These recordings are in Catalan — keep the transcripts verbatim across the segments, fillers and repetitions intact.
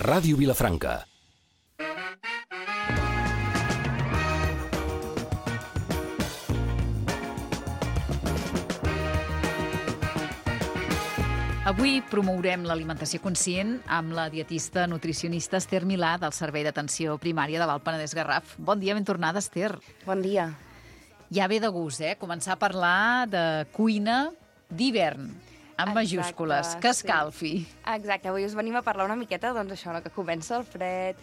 Ràdio Vilafranca. Avui promourem l'alimentació conscient amb la dietista nutricionista Esther Milà del Servei d'Atenció Primària de l'Alt Penedès Garraf. Bon dia, ben tornada, Esther. Bon dia. Ja ve de gust, eh? Començar a parlar de cuina d'hivern, amb majúscules, que escalfi. Sí. Exacte, avui us venim a parlar una miqueta, doncs això, no, que comença el fred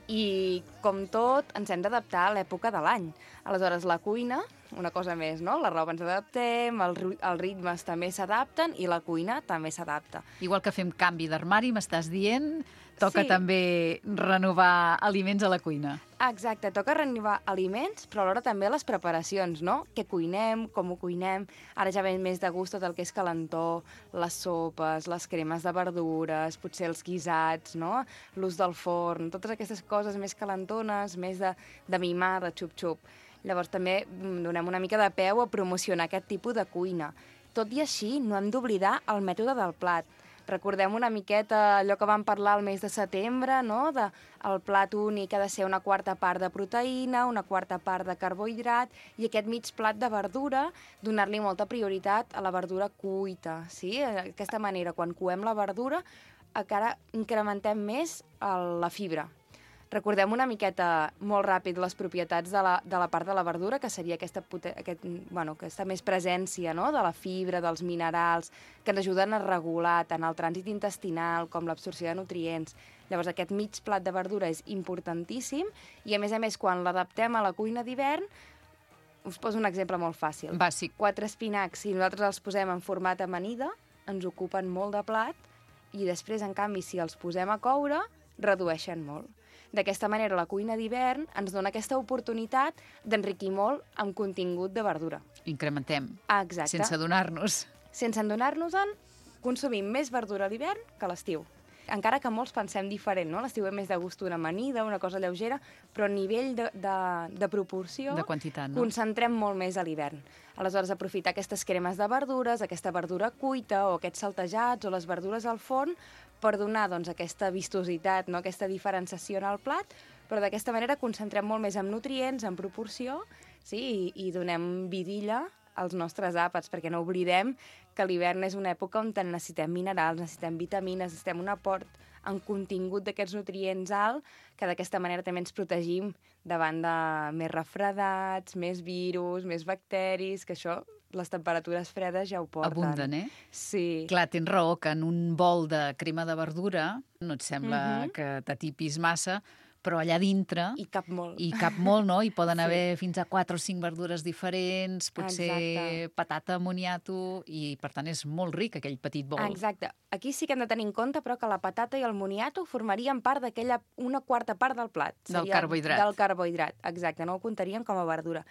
i, com tot, ens hem d'adaptar a l'època de l'any. Aleshores, la cuina, una cosa més, no? La roba ens adaptem, el, els ritmes també s'adapten i la cuina també s'adapta. Igual que fem canvi d'armari, m'estàs dient, toca Sí. també renovar aliments a la cuina. Exacte, toca renovar aliments, però alhora també les preparacions, no? Què cuinem, com ho cuinem. Ara ja ve més de gust tot el que és calentó, les sopes, les cremes de verdures, potser els guisats, no? L'ús del forn, totes aquestes coses més calentones, més de, de mimar, de xup-xup. Llavors també donem una mica de peu a promocionar aquest tipus de cuina. Tot i així, no hem d'oblidar el mètode del plat. Recordem una miqueta allò que vam parlar el mes de setembre, no? De, el plat únic ha de ser una quarta part de proteïna, una quarta part de carbohidrat i aquest mig plat de verdura, donar-li molta prioritat a la verdura cuita. Sí? D'aquesta manera, quan coem la verdura, encara incrementem més el, la fibra. Recordem una miqueta, molt ràpid, les propietats de la, de la part de la verdura, que seria aquesta, aquest, bueno, aquesta més presència, no? De la fibra, dels minerals, que ens ajuden a regular tant el trànsit intestinal com l'absorció de nutrients. Llavors, aquest mig plat de verdura és importantíssim i, a més a més, quan l'adaptem a la cuina d'hivern, us poso un exemple molt fàcil. Bàsic. Quatre espinacs, si nosaltres els posem en format amanida, ens ocupen molt de plat i després, en canvi, si els posem a coure, redueixen molt. D'aquesta manera, la cuina d'hivern ens dona aquesta oportunitat d'enriquir molt amb contingut de verdura. Incrementem. Exacte. Sense adonar-nos. Sense adonar-nos-en, consumim més verdura a l'hivern que a l'estiu. Encara que molts pensem diferent, no? L'estiu és més de gust una amanida, una cosa lleugera, però a nivell de, de, de proporció, De quantitat, no? concentrem molt més a l'hivern. Aleshores, aprofitar aquestes cremes de verdures, aquesta verdura cuita o aquests saltejats o les verdures al forn per donar doncs, aquesta vistositat, no? Aquesta diferenciació en el plat, però d'aquesta manera concentrem molt més en nutrients, en proporció, sí? I, i donem vidilla als nostres àpats, perquè no oblidem que l'hivern és una època on necessitem minerals, necessitem vitamines, necessitem un aport en contingut d'aquests nutrients alt, que d'aquesta manera també ens protegim davant de més refredats, més virus, més bacteris, que això, les temperatures fredes ja ho porten. Abunden, eh? Sí. Clar, tens raó que en un bol de crema de verdura no et sembla Mhm. que t'atipis massa, però allà dintre I cap molt. hi cap molt, no? Hi poden Sí. haver fins a quatre o cinc verdures diferents, potser Exacte. patata, moniato, i per tant és molt ric aquell petit bol. Exacte. Aquí sí que hem de tenir en compte, però, que la patata i el moniato formarien part d'aquella una quarta part del plat. Del Seria carbohidrat. Del carbohidrat, exacte. No ho comptaríem com a verdura.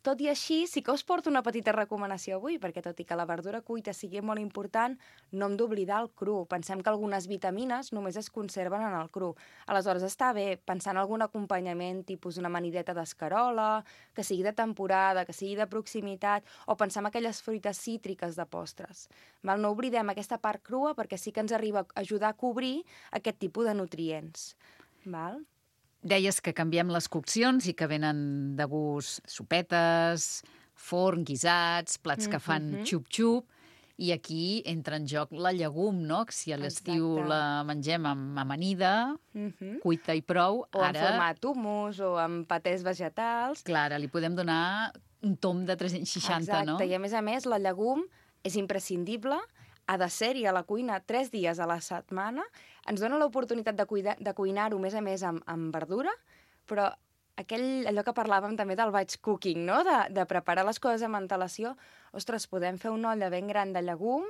Tot i així, sí que us porto una petita recomanació avui, perquè tot i que la verdura cuita sigui molt important, no hem d'oblidar el cru. Pensem que algunes vitamines només es conserven en el cru. Aleshores, està bé pensar en algun acompanyament, tipus una amanideta d'escarola, que sigui de temporada, que sigui de proximitat, o pensar en aquelles fruites cítriques de postres. Val? No oblidem aquesta part crua, perquè sí que ens arriba a ajudar a cobrir aquest tipus de nutrients. Val? Deies que canviem les coccions i que venen de gust sopetes, forn, guisats, plats que fan Mhm. xup-xup, i aquí entra en joc la llegum, no? Que si a l'estiu Exacte. la mengem amb amanida, Mhm. cuita i prou, O en ara, format hummus, o amb patés vegetals. clar, ara li podem donar un tom de tres-cents seixanta, Exacte. no? I a més a més, la llegum és imprescindible, ha de ser-hi a la cuina tres dies a la setmana, ens dona l'oportunitat de, cuida, de cuinar-ho, més a més, amb, amb verdura, però aquell, allò que parlàvem també del batch cooking, no? de, de preparar les coses amb antelació, ostres, podem fer una olla ben gran de llegum,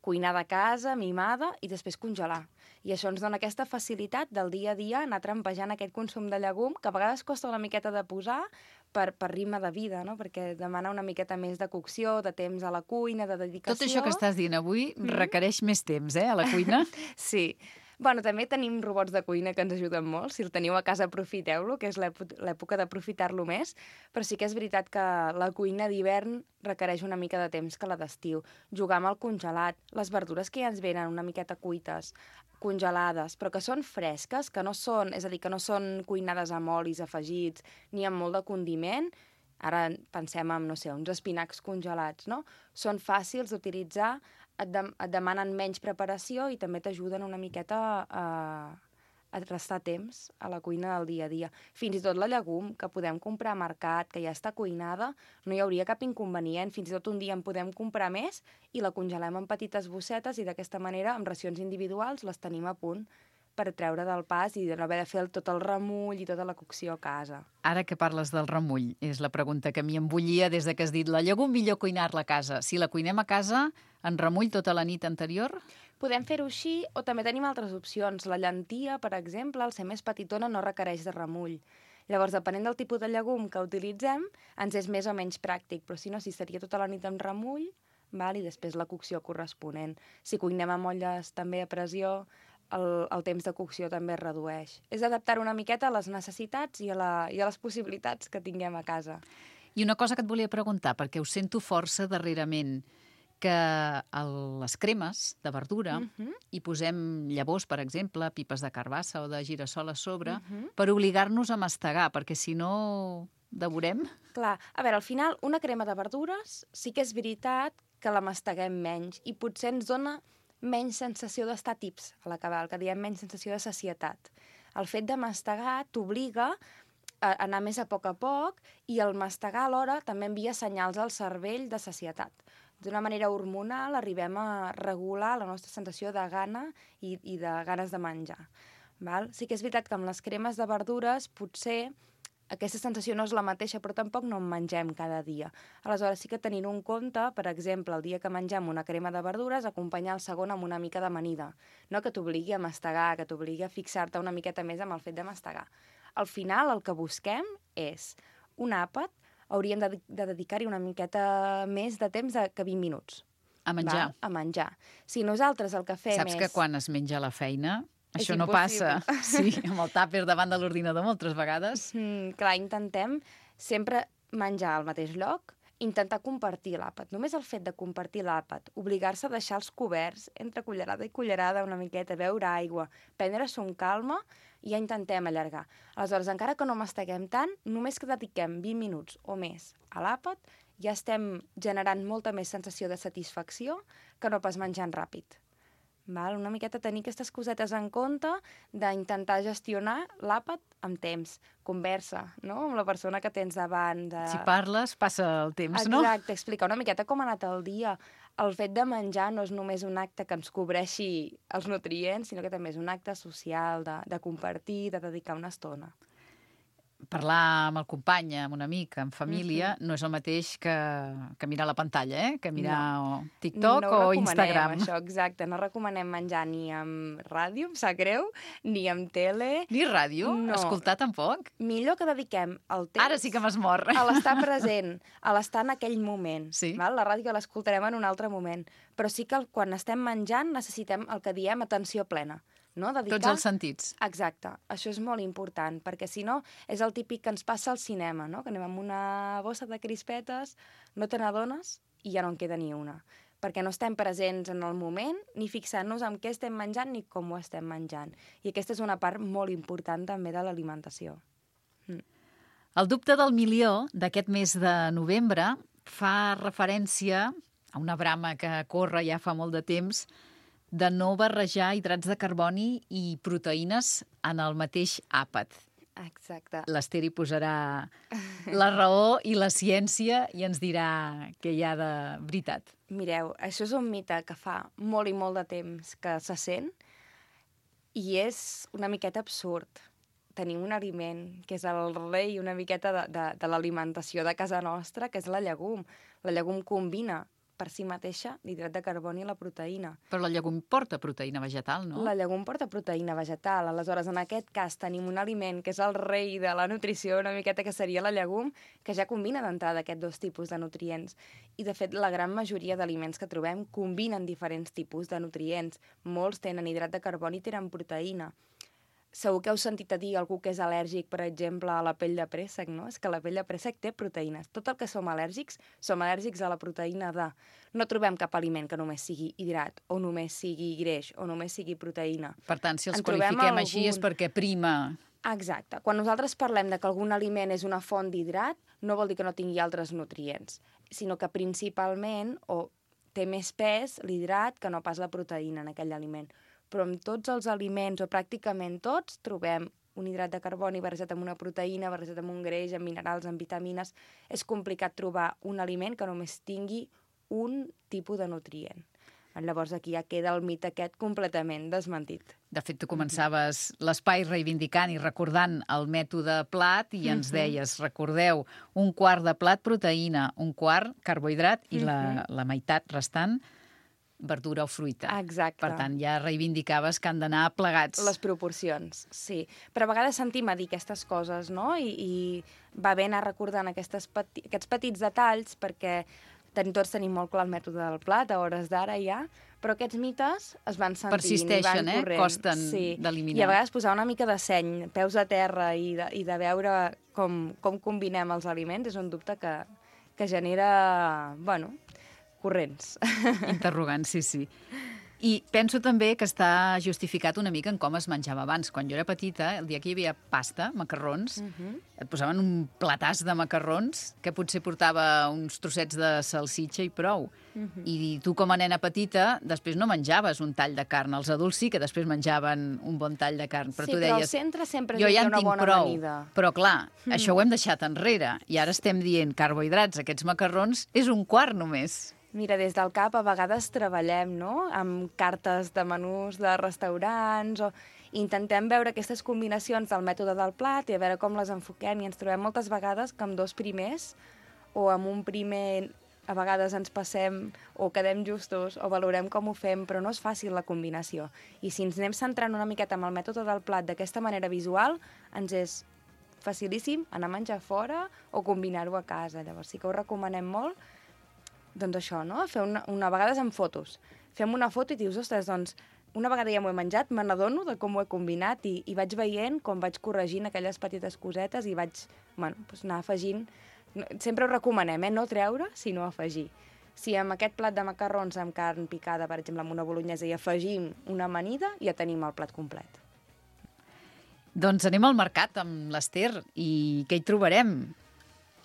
cuinar de casa, mimada, i després congelar. I això ens dona aquesta facilitat del dia a dia, anar trampejant aquest consum de llegum, que a vegades costa una miqueta de posar per, per ritme de vida, no? Perquè demana una miqueta més de cocció, de temps a la cuina, de dedicació. Tot això que estàs dient avui Mm. requereix més temps, eh, a la cuina. Sí. Bueno, també tenim robots de cuina que ens ajuden molt. Si el teniu a casa, aprofiteu-lo, que és l'època d'aprofitar-lo més. Però sí que és veritat que la cuina d'hivern requereix una mica de temps que la d'estiu. Jugar amb el congelat, les verdures que ja ens venen una miqueta cuites, congelades, però que són fresques, que no són, és a dir, que no són cuinades amb olis afegits ni amb molt de condiment. Ara pensem en, no sé, uns espinacs congelats, no? Són fàcils d'utilitzar, et, de, et demanen menys preparació i també t'ajuden una miqueta a, a restar temps a la cuina del dia a dia. Fins i tot la llegum, que podem comprar a mercat, que ja està cuinada, no hi hauria cap inconvenient. Fins i tot un dia en podem comprar més i la congelem en petites bossetes i d'aquesta manera, amb racions individuals, les tenim a punt per treure del pas i de no haver de fer tot el remull i tota la cocció a casa. Ara que parles del remull, és la pregunta que m'hi embullia des de que has dit la llegum millor cuinar-la a casa. Si la cuinem a casa, en remull tota la nit anterior? Podem fer-ho així o també tenim altres opcions. La llentia, per exemple, al ser més petitona, no requereix de remull. Llavors, depenent del tipus de llegum que utilitzem, ens és més o menys pràctic, però si no, si seria tota la nit amb remull, val? I després la cocció corresponent. Si cuinem amb olles també a pressió, El, el temps de cocció també es redueix. És adaptar una miqueta a les necessitats i a, la, i a les possibilitats que tinguem a casa. I una cosa que et volia preguntar, perquè ho sento força darrerament, que a les cremes de verdura uh -huh. hi posem llavors, per exemple, pipes de carbassa o de girassol a sobre, uh -huh. per obligar-nos a mastegar, perquè si no devorem. Clar, a veure, al final, una crema de verdures sí que és veritat que la masteguem menys i potser ens dona menys sensació d'estar tips a l'acabar, el que diem menys sensació de sacietat. El fet de mastegar t'obliga a anar més a poc a poc i el mastegar alhora també envia senyals al cervell de sacietat. D'una manera hormonal arribem a regular la nostra sensació de gana i, i de ganes de menjar. Val? Sí que és veritat que amb les cremes de verdures potser aquesta sensació no és la mateixa, però tampoc no en mengem cada dia. Aleshores, sí que tenint un compte, per exemple, el dia que mengem una crema de verdures, acompanyar el segon amb una mica d'amanida, no? Que t'obligui a mastegar, que t'obligui a fixar-te una miqueta més amb el fet de mastegar. Al final, el que busquem és un àpat, hauríem de, de dedicar-hi una miqueta més de temps de, que vint minuts. A menjar. Va? A menjar. Si nosaltres el que fem Saps és... que quan es menja a la feina... És Això no impossible. passa, sí, amb el tàper davant de l'ordinador moltes vegades. Mm, clar, intentem sempre menjar al mateix lloc, intentar compartir l'àpat. Només el fet de compartir l'àpat, obligar-se a deixar els coberts entre cullerada i cullerada una miqueta, beure aigua, prendre-s'ho amb calma, i ja intentem allargar. Aleshores, encara que no masteguem tant, només que dediquem vint minuts o més a l'àpat, ja estem generant molta més sensació de satisfacció que no pas menjant ràpid. Val? Una miqueta tenir aquestes cosetes en compte d'intentar gestionar l'àpat amb temps. Conversa, no?, amb la persona que tens davant. De... Si parles, passa el temps, no? Exacte, explicar una miqueta com ha anat el dia. El fet de menjar no és només un acte que ens cobreixi els nutrients, sinó que també és un acte social, de, de compartir, de dedicar una estona. Parlar amb el company, amb un amic, amb família, uh-huh. no és el mateix que, que mirar la pantalla, eh? Que mirar no. TikTok no o Instagram. Això, exacte. No recomanem menjar ni amb ràdio, em sap greu, ni amb tele. Ni ràdio? No. Escoltar tampoc? Millor que dediquem el temps... Ara sí que m'has mort. A l'estar present, a l'estar en aquell moment. Sí. Val? La ràdio l'escoltarem en un altre moment. Però sí que quan estem menjant necessitem el que diem atenció plena. No? Dedicar... Tots els sentits. Exacte. Això és molt important, perquè si no és el típic que ens passa al cinema, no? Que anem amb una bossa de crispetes, no te n'adones i ja no en queda ni una. Perquè no estem presents en el moment, ni fixant-nos en què estem menjant ni com ho estem menjant. I aquesta és una part molt important també de l'alimentació. Mm. El dubte del milió d'aquest mes de novembre fa referència a una brama que corre ja fa molt de temps de no barrejar hidrats de carboni i proteïnes en el mateix àpat. Exacte. L'Ester hi posarà la raó i la ciència i ens dirà què hi ha de veritat. Mireu, això és un mite que fa molt i molt de temps que se sent i és una miqueta absurd. Tenim un aliment que és el rei una miqueta de, de, de l'alimentació de casa nostra, que és la llegum. La llegum combina per si mateixa l'hidrat de carboni i la proteïna. Però la llegum porta proteïna vegetal, no? La llegum porta proteïna vegetal. Aleshores, en aquest cas, tenim un aliment que és el rei de la nutrició, una miqueta que seria la llegum, que ja combina d'entrada aquests dos tipus de nutrients. I, de fet, la gran majoria d'aliments que trobem combinen diferents tipus de nutrients. Molts tenen hidrat de carboni i tenen proteïna. Segur que heu sentit a dir algú que és al·lèrgic, per exemple, a la pell de préssec, no? És que la pell de préssec té proteïnes. Tot el que som al·lèrgics, som al·lèrgics a la proteïna de... No trobem cap aliment que només sigui hidrat, o només sigui greix, o només sigui proteïna. Per tant, si els En trobem qualifiquem algun- així és perquè prima... Exacte. Quan nosaltres parlem de que algun aliment és una font d'hidrat, no vol dir que no tingui altres nutrients, sinó que principalment, o té més pes l'hidrat que no pas la proteïna en aquell aliment. Però en tots els aliments, o pràcticament tots, trobem un hidrat de carboni barrejat amb una proteïna, barrejat amb un greix, amb minerals, amb vitamines. És complicat trobar un aliment que només tingui un tipus de nutrient. Llavors aquí ja queda el mite aquest completament desmentit. De fet, tu començaves l'espai reivindicant i recordant el mètode plat i ens deies, recordeu, un quart de plat proteïna, un quart carbohidrat i la, la meitat restant verdura o fruita. Exacte. Per tant, ja reivindicaves que han d'anar plegats. Les proporcions, sí. Però a vegades sentim a dir aquestes coses, no? I, i va bé anar recordant aquestes peti aquests petits detalls perquè ten tots tenim molt clar el mètode del plat, a hores d'ara ja, però aquests mites es van sentint Persisteixen, i van eh? corrent. Costen sí. d'eliminar. I a vegades posar una mica de seny, peus a terra i de, i de veure com, com combinem els aliments és un dubte que, que genera, bueno, corrents. Interrogant, sí, sí. I penso també que està justificat una mica en com es menjava abans. Quan jo era petita, el dia que hi havia pasta, macarrons, uh -huh. et posaven un platàs de macarrons que potser portava uns trossets de salsitxa i prou. Uh -huh. I tu, com a nena petita, després no menjaves un tall de carn. Els adults sí que després menjaven un bon tall de carn. Però sí, tu però deies, al centre sempre jo hi ja ha en una tinc bona prou. amanida. Però clar, mm. això ho hem deixat enrere. I ara estem dient carbohidrats, aquests macarrons, és un quart només. Mira, des del C A P a vegades treballem, no?, amb cartes de menús de restaurants o intentem veure aquestes combinacions del mètode del plat i a veure com les enfoquem i ens trobem moltes vegades que amb dos primers o amb un primer a vegades ens passem o quedem justos o valorem com ho fem, però no és fàcil la combinació. I si ens anem centrant una miqueta amb el mètode del plat d'aquesta manera visual, ens és facilíssim anar a menjar fora o combinar-ho a casa. Llavors sí que ho recomanem molt. Doncs això, no? Fer una, una vegades amb fotos. Fem una foto i dius, ostres, doncs, una vegada ja m'ho he menjat, me n'adono de com ho he combinat i, i vaig veient com vaig corregint aquelles petites cosetes i vaig, bueno, doncs anar afegint. Sempre ho recomanem, eh? No treure, sinó afegir. Si amb aquest plat de macarrons amb carn picada, per exemple, amb una bolognesa, i afegim una amanida, ja tenim el plat complet. Doncs anem al mercat amb l'Ester i què hi trobarem?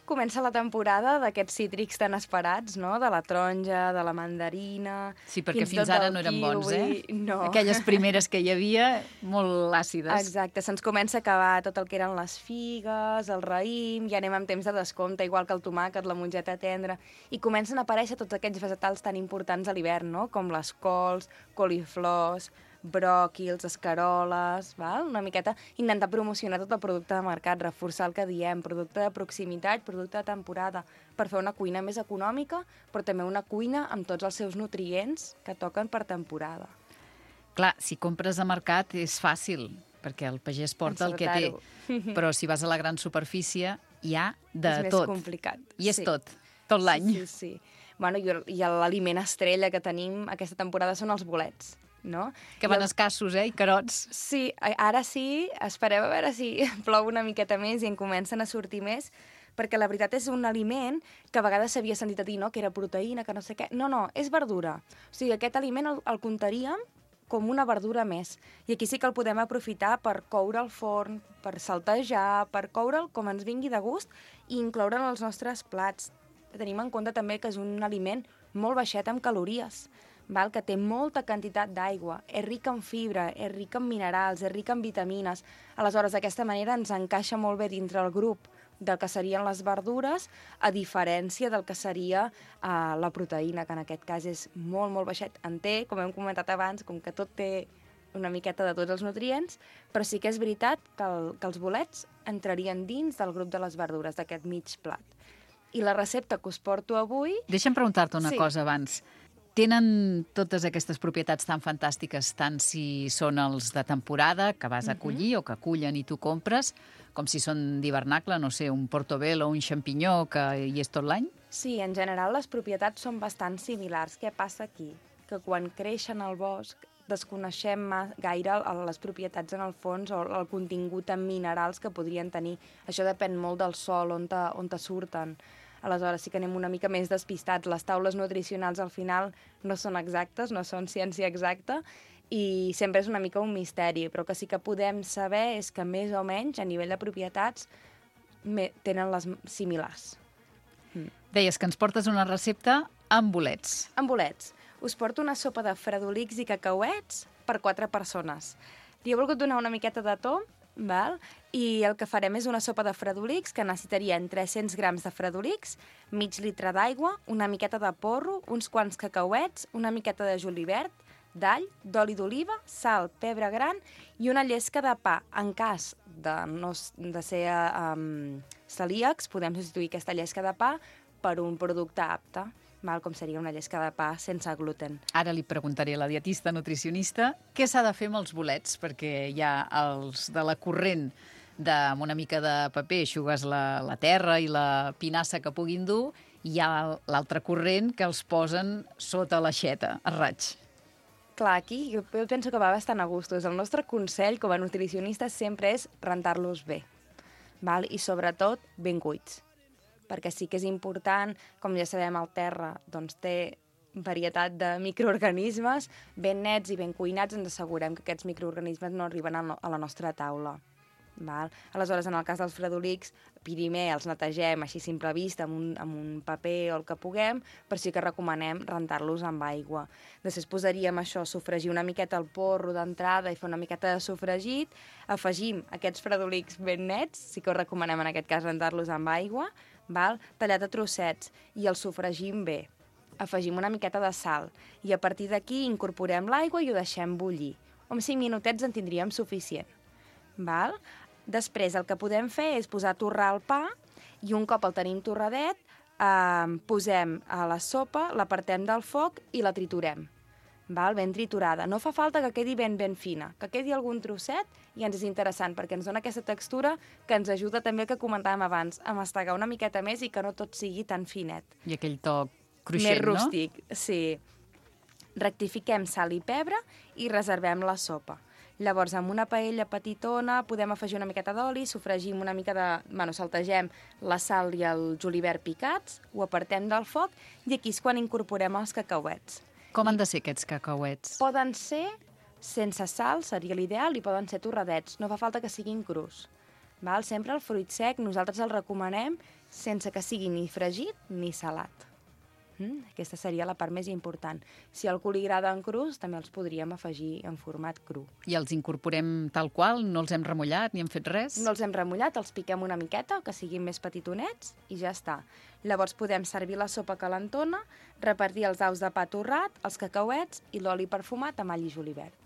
Comença la temporada d'aquests cítrics tan esperats, no? De la taronja, de la mandarina... Sí, perquè fins, fins ara no eren kiwi. bons, eh? No. Aquelles primeres que hi havia, molt àcides. Exacte, se'ns comença a acabar tot el que eren les figues, el raïm, ja anem amb temps de descompte, igual que el tomàquet, la mongeta tendra, i comencen a aparèixer tots aquests vegetals tan importants a l'hivern, no? Com les cols, coliflors, bròquils, escaroles, val? Una miqueta intentar promocionar tot el producte de mercat, reforçar el que diem, producte de proximitat, producte de temporada, per fer una cuina més econòmica, però també una cuina amb tots els seus nutrients que toquen per temporada. Clar, si compres a mercat és fàcil, perquè el pagès porta el que té, però si vas a la gran superfície hi ha de és tot. És més complicat. I és sí. tot, tot l'any. Sí, sí, sí. Bueno, i l'aliment estrella que tenim aquesta temporada són els bolets. No? Que van escassos, eh? I carots. Sí, ara sí, esperem a veure si plou una miqueta més i en comencen a sortir més, perquè la veritat és un aliment que a vegades s'havia sentit a dir, no?, que era proteïna, que no sé què. No, no, és verdura. O sigui, aquest aliment el, el comptaríem com una verdura més. I aquí sí que el podem aprofitar per coure al forn, per saltejar, per coure'l com ens vingui de gust i incloure'l en els nostres plats. Tenim en compte també que és un aliment molt baixet en calories, val? Que té molta quantitat d'aigua, és ric en fibra, és ric en minerals, és ric en vitamines. Aleshores, d'aquesta manera ens encaixa molt bé dintre el grup del que serien les verdures, a diferència del que seria uh, la proteïna, que en aquest cas és molt, molt baixet. En té, com hem comentat abans, com que tot té una miqueta de tots els nutrients, però sí que és veritat que, el, que els bolets entrarien dins del grup de les verdures, d'aquest mig plat. I la recepta que us porto avui... Deixa'm preguntar-te una Sí. cosa abans. Tenen totes aquestes propietats tan fantàstiques, tant si són els de temporada, que vas a collir o que cullen i tu compres, com si són d'hivernacle, no sé, un portobello o un xampinyó que hi és tot l'any? Sí, en general les propietats són bastant similars. Què passa aquí? Que quan creixen al bosc desconeixem ma- gaire el- les propietats en el fons o el contingut en minerals que podrien tenir. Això depèn molt del sol on te, on te surten. Aleshores sí que anem una mica més despistats. Les taules nutricionals al final no són exactes, no són ciència exacta, i sempre és una mica un misteri, però que sí que podem saber és que més o menys a nivell de propietats me- tenen les m- similars. Deies que ens portes una recepta amb bolets. Amb bolets. Us porto una sopa de fredolics i cacauets per quatre persones. Li he volgut donar una miqueta de to, val? I el que farem és una sopa de fredolics que necessitarien tres-cents grams de fredolics, mig litre d'aigua, una miqueta de porro, uns quants cacauets, una miqueta de julivert, d'all, d'oli d'oliva, sal, pebre gran i una llesca de pa. En cas de, no, s- de ser um, celíacs, podem substituir aquesta llesca de pa per un producte apte, val? Com seria una llesca de pa sense gluten. Ara li preguntaré a la dietista nutricionista què s'ha de fer amb els bolets, perquè hi ha els de la corrent de, amb una mica de paper, eixugues la, la terra i la pinassa que puguin dur, i hi ha l'altra corrent que els posen sota l'aixeta, a raig. Clar, aquí jo jo penso que va bastant a gustos. El nostre consell com a nutricionistes sempre és rentar-los bé, val? I sobretot ben cuits, perquè sí que és important, com ja sabem, el terra doncs, té varietat de microorganismes, ben nets i ben cuinats ens assegurem que aquests microorganismes no arriben a no- a la nostra taula. Val? Aleshores, en el cas dels fredolics, primer els netegem així a simple vista amb un, amb un paper o el que puguem, però sí que recomanem rentar-los amb aigua. Després posaríem això, sofregir una miqueta el porro d'entrada i fer una miqueta de sofregit, afegim aquests fredolics ben nets, sí que us recomanem en aquest cas rentar-los amb aigua, val? Tallat a trossets, i els sofregim bé. Afegim una miqueta de sal i a partir d'aquí incorporem l'aigua i ho deixem bullir. Amb cinc minutets en tindríem suficient. Val? Després el que podem fer és posar a torrar el pa i un cop el tenim torradet eh, posem a la sopa, l'apartem del foc i la triturem. Val? Ben triturada. No fa falta que quedi ben ben fina, que quedi algun trosset i ens és interessant perquè ens dona aquesta textura que ens ajuda també el que comentàvem abans, a mastegar una miqueta més i que no tot sigui tan finet. I aquell toc cruixent, Més no? rústic, sí. Rectifiquem sal i pebre i reservem la sopa. Llavors, amb una paella petitona podem afegir una miqueta d'oli, sofregim una mica de... Bueno, saltegem la sal i el julivert picats, ho apartem del foc i aquí és quan incorporem els cacauets. Com han de ser aquests cacauets? Poden ser sense sal, seria l'ideal, i poden ser torradets. No fa falta que siguin crus. Val? Sempre el fruit sec nosaltres el recomanem sense que sigui ni fregit ni salat. Mm? Aquesta seria la part més important. Si a algú li agraden crus, també els podríem afegir en format cru. I els incorporem tal qual? No els hem remullat ni hem fet res? No els hem remullat, els piquem una miqueta, que siguin més petitonets, i ja està. Llavors podem servir la sopa calentona, repartir els daus de pa torrat, els cacauets i l'oli perfumat amb all i julivert.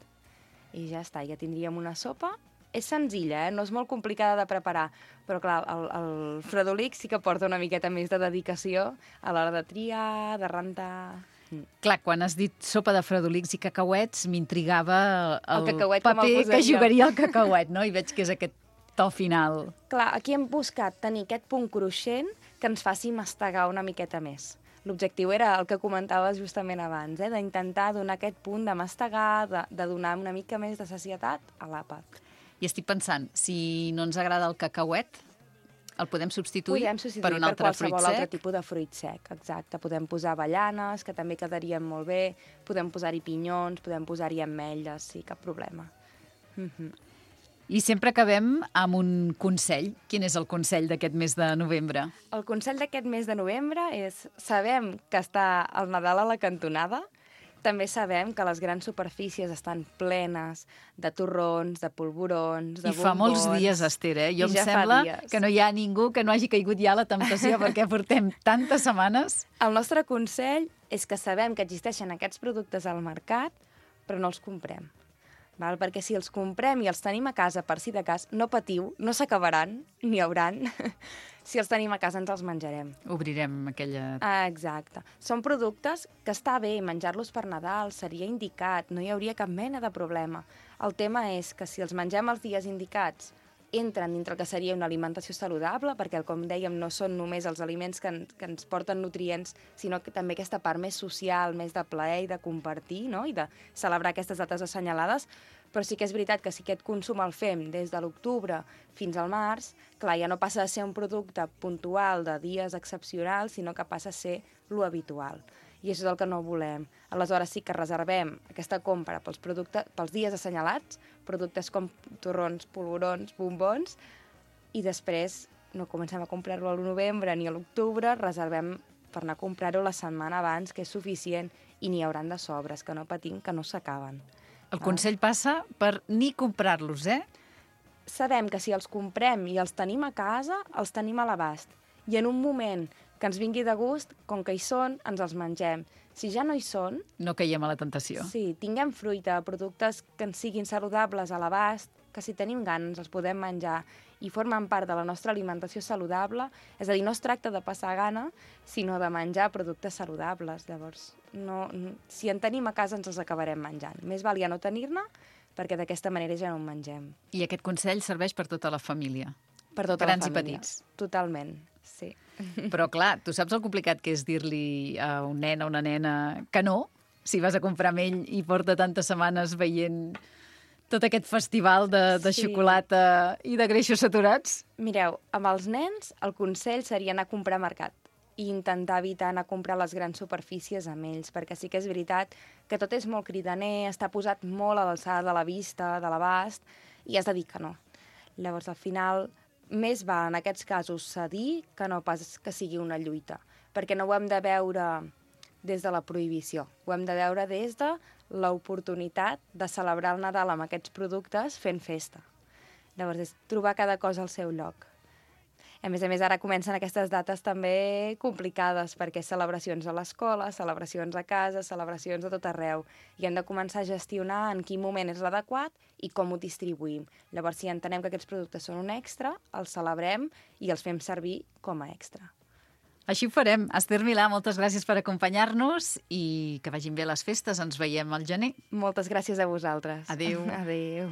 I ja està, ja tindríem una sopa. És senzilla, eh? No és molt complicada de preparar, però clar, el, el fredolic sí que porta una miqueta més de dedicació a l'hora de triar, de rentar... Mm. Clar, quan has dit sopa de fredolics i cacauets, m'intrigava el, El cacauet com el paper posaria. que jugaria el cacauet, no? I veig que és aquest to final. Clar, aquí hem buscat tenir aquest punt cruixent que ens faci mastegar una miqueta més. L'objectiu era el que comentaves justament abans, eh? D'intentar donar aquest punt de mastegar, de, de donar una mica més de sacietat a l'àpat. I estic pensant, si no ens agrada el cacauet, el podem substituir, Podem substituir per un altre per fruit qualsevol sec? altre tipus de fruit sec, exacte. Podem posar avellanes, que també quedarien molt bé, podem posar-hi pinyons, podem posar-hi ametlles, sí, cap problema. Mm-hmm. I sempre acabem amb un consell. Quin és el consell d'aquest mes de novembre? El consell d'aquest mes de novembre és, sabem que està el Nadal a la cantonada, també sabem que les grans superfícies estan plenes de torrons, de polvorons, de I bombons... fa molts dies, Esther, eh? Jo I em ja fa sembla dies. que no hi ha ningú que no hagi caigut ja a la temptació perquè portem tantes setmanes. El nostre consell és que sabem que existeixen aquests productes al mercat, però no els comprem. val? Perquè si els comprem i els tenim a casa per si de cas, no patiu, no s'acabaran, ni hauran. Si els tenim a casa ens els menjarem. Obrirem aquella... Ah, exacte. Són productes que està bé menjar-los per Nadal, seria indicat, no hi hauria cap mena de problema. El tema és que si els mengem els dies indicats, entren dintre el que seria una alimentació saludable, perquè, com dèiem, no són només els aliments que, en, que ens porten nutrients, sinó que també aquesta part més social, més de plaer i de compartir, no? I de celebrar aquestes dates assenyalades. Però sí que és veritat que si aquest consum el fem des de l'octubre fins al març, clar, ja no passa a ser un producte puntual de dies excepcionals, sinó que passa a ser lo habitual. I això és el que no volem. Aleshores sí que reservem aquesta compra pels, productes, pels dies assenyalats, productes com torrons, polvorons, bombons, i després no comencem a comprar-lo al novembre ni a l'octubre, reservem per anar a comprar-ho la setmana abans, que és suficient, i n'hi hauran de sobres, que no patim, que no s'acaben. El consell passa per ni comprar-los, eh? Sabem que si els comprem i els tenim a casa, els tenim a l'abast. I en un moment que ens vingui de gust, com que hi són, ens els mengem. Si ja no hi són... No caiem a la tentació. Sí, tinguem fruita, productes que ens siguin saludables a l'abast, que si tenim gana ens els podem menjar i formen part de la nostra alimentació saludable. És a dir, no es tracta de passar gana, sinó de menjar productes saludables. Llavors, no, si en tenim a casa ens els acabarem menjant. Més val ja no tenir-ne, perquè d'aquesta manera ja no en mengem. I aquest consell serveix per tota la família? Per tota Grans la família. i petits? Totalment, sí. Però clar, tu saps el complicat que és dir-li a un nen o una nena que no, si vas a comprar amb ell i porta tantes setmanes veient tot aquest festival de, de Sí. xocolata i de greixos saturats? Mireu, amb els nens el consell seria anar a comprar a mercat i intentar evitar anar a comprar les grans superfícies amb ells, perquè sí que és veritat que tot és molt cridaner, està posat molt a l'alçada de la vista, de l'abast, i has de dir que no. Llavors, al final, més val en aquests casos cedir que no pas que sigui una lluita, perquè no ho hem de veure des de la prohibició, ho hem de veure des de l'oportunitat de celebrar el Nadal amb aquests productes fent festa. Llavors, és trobar cada cosa al seu lloc. A més a més, ara comencen aquestes dates també complicades, perquè celebracions a l'escola, celebracions a casa, celebracions a tot arreu, i hem de començar a gestionar en quin moment és l'adequat i com ho distribuïm. Llavors, si entenem que aquests productes són un extra, els celebrem i els fem servir com a extra. Així ho farem. Esther Milà, moltes gràcies per acompanyar-nos i que vagin bé les festes. Ens veiem al gener. Moltes gràcies a vosaltres. Adéu. Adéu.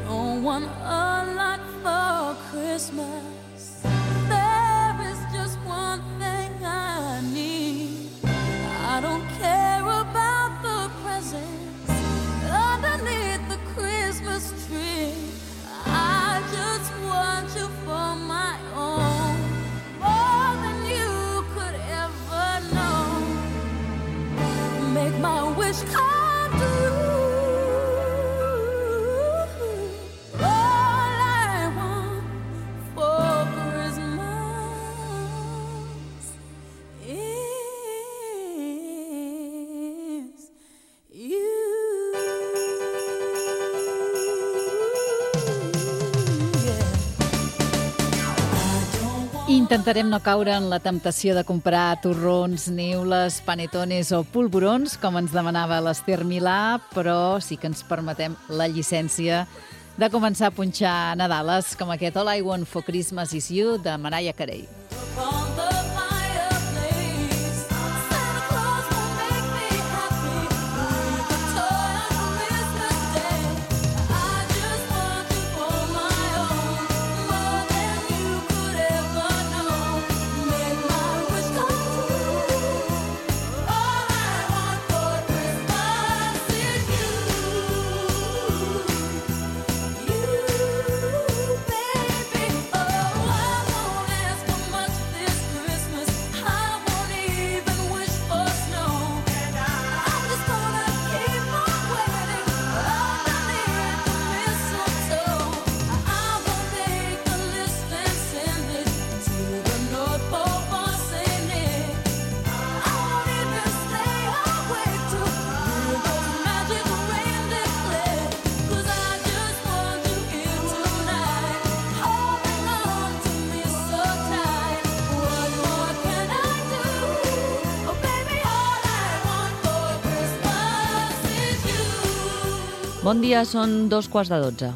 Don't want a lot for Christmas. There is just one thing I need. I don't care about the presents underneath the Christmas tree. I just want you for my own, more than you could ever know. Make my wish come true. Intentarem no caure en la temptació de comprar torrons, neules, panetones o polvorons, com ens demanava l'Esther Milà, però sí que ens permetem la llicència de començar a punxar Nadales, com aquest All I Want for Christmas Is You, de Mariah Carey. Baby, oh, I won't ask for Bon dia, són dos quarts de dotze.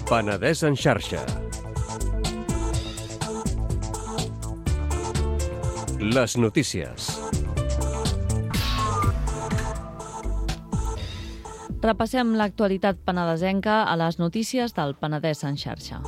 Penedès en xarxa. Les notícies. Repassem l'actualitat penedesenca a les notícies del Penedès en xarxa.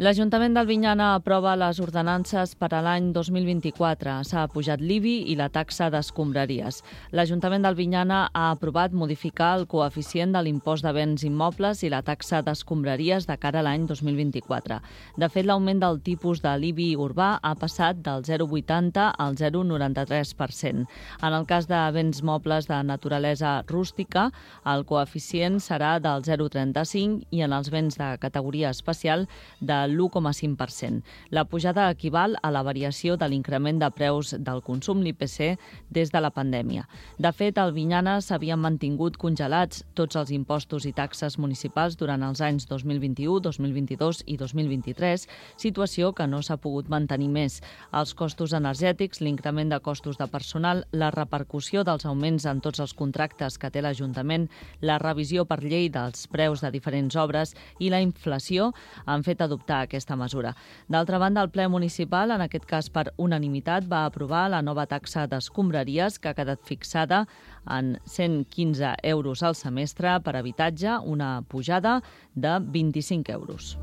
L'Ajuntament d'Albinyana aprova les ordenances per a l'any dos mil vint-i-quatre. S'ha apujat l'I B I i la taxa d'escombraries. L'Ajuntament d'Albinyana ha aprovat modificar el coeficient de l'impost de béns immobles i la taxa d'escombraries de cara a l'any dos mil vint-i-quatre. De fet, l'augment del tipus de l'I B I urbà ha passat del zero coma vuitanta al zero coma noranta-tres per cent. En el cas de béns mobles de naturalesa rústica, el coeficient serà del zero coma trenta-cinc i en els béns de categoria especial de l'u coma cinc per cent. La pujada equival a la variació de l'increment de preus del consum, l'I P C, des de la pandèmia. De fet, a Albinyana s'havien mantingut congelats tots els impostos i taxes municipals durant els anys dos mil vint-i-u, dos mil vint-i-dos i dos mil vint-i-tres, situació que no s'ha pogut mantenir més. Els costos energètics, l'increment de costos de personal, la repercussió dels augments en tots els contractes que té l'Ajuntament, la revisió per llei dels preus de diferents obres i la inflació han fet adoptar aquesta mesura. D'altra banda, el ple municipal, en aquest cas per unanimitat, va aprovar la nova taxa d'escombraries que ha quedat fixada en cent quinze euros al semestre per habitatge, una pujada de vint-i-cinc euros.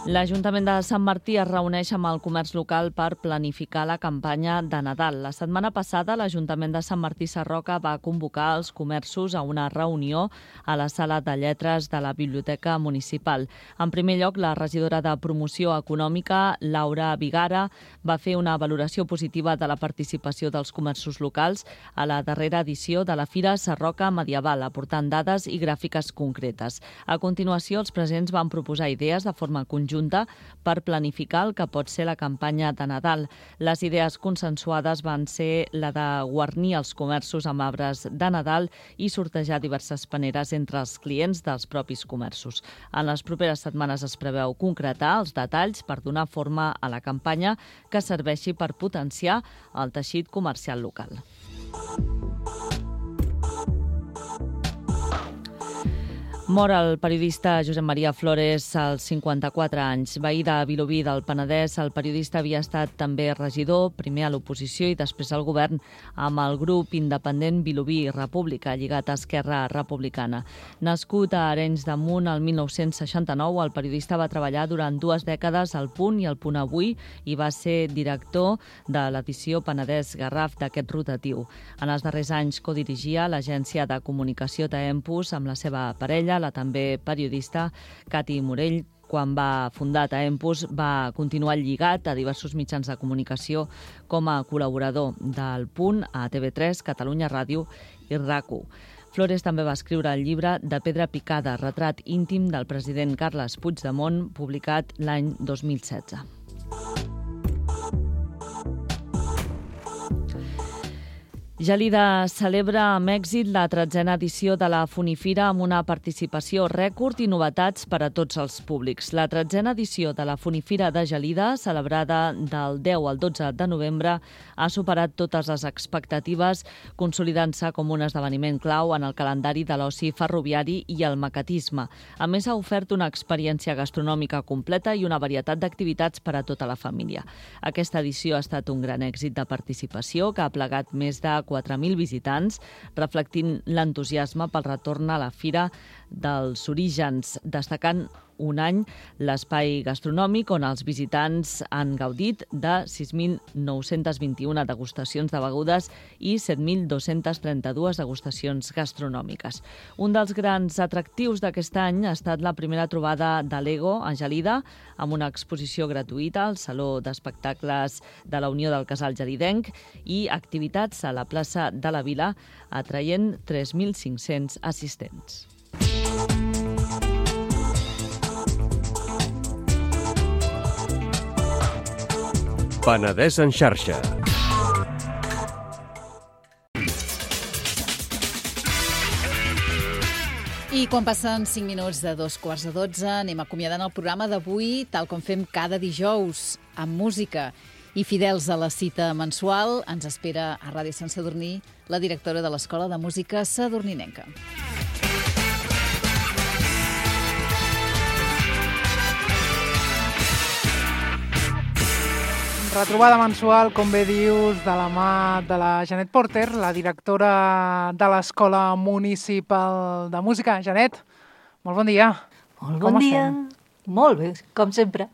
L'Ajuntament de Sant Martí es reuneix amb el comerç local per planificar la campanya de Nadal. La setmana passada, l'Ajuntament de Sant Martí Sarroca va convocar els comerços a una reunió a la sala de lletres de la Biblioteca Municipal. En primer lloc, la regidora de Promoció Econòmica, Laura Vigara, va fer una valoració positiva de la participació dels comerços locals a la darrera edició de la Fira Sarroca Medieval, aportant dades i gràfiques concretes. A continuació, els presents van proposar idees de forma conjunta per planificar el que pot ser la campanya de Nadal. Les idees consensuades van ser la de guarnir els comerços amb arbres de Nadal i sortejar diverses paneres entre els clients dels propis comerços. En les properes setmanes es preveu concretar els detalls per donar forma a la campanya que serveixi per potenciar el teixit comercial local. Mor el periodista Josep Maria Flores als cinquanta-quatre anys. Veí de Vilobí del Penedès, el periodista havia estat també regidor, primer a l'oposició i després al govern, amb el grup independent Vilobí República, lligat a Esquerra Republicana. Nascut a Arenys de Munt el mil nou-cents seixanta-nou, el periodista va treballar durant dues dècades al Punt i al Punt Avui i va ser director de l'edició Penedès Garraf d'aquest rotatiu. En els darrers anys codirigia l'agència de comunicació Tempus amb la seva parella, la també periodista Cati Morell. Quan va fundar Tempus va continuar lligat a diversos mitjans de comunicació com a col·laborador del Punt a T V tres, Catalunya Ràdio i RAC1. Flores també va escriure el llibre De pedra picada, retrat íntim del president Carles Puigdemont, publicat l'any dos mil setze. Gelida celebra amb èxit la tretzena edició de la Funifira amb una participació rècord i novetats per a tots els públics. La tretzena edició de la Funifira de Gelida, celebrada del deu al dotze de novembre, ha superat totes les expectatives, consolidant-se com un esdeveniment clau en el calendari de l'oci ferroviari i el maquetisme. A més, ha ofert una experiència gastronòmica completa i una varietat d'activitats per a tota la família. Aquesta edició ha estat un gran èxit de participació que ha plegat més de quatre mil visitants, reflectint l'entusiasme pel retorn a la fira dels orígens, destacant un any l'espai gastronòmic on els visitants han gaudit de sis mil nou-cents vint-i-una degustacions de begudes i set mil dos-cents trenta-dues degustacions gastronòmiques. Un dels grans atractius d'aquest any ha estat la primera trobada de Lego a Gelida, amb una exposició gratuïta al Saló d'Espectacles de la Unió del Casal Gelidenc i activitats a la plaça de la Vila, atraient tres mil cinc-cents assistents. Penedès en xarxa. I quan passen cinc minuts de dos quarts de dotze, anem acomiadant el programa d'avui, tal com fem cada dijous, amb música. I fidels a la cita mensual, ens espera a Ràdio Sant Sadurní la directora de l'Escola de Música Sadurninenca. Retrobada mensual, com bé dius, de la mà de la Janet Porter, la directora de l'Escola Municipal de Música. Janet, molt bon dia. Molt bon dia. Molt bé, com sempre.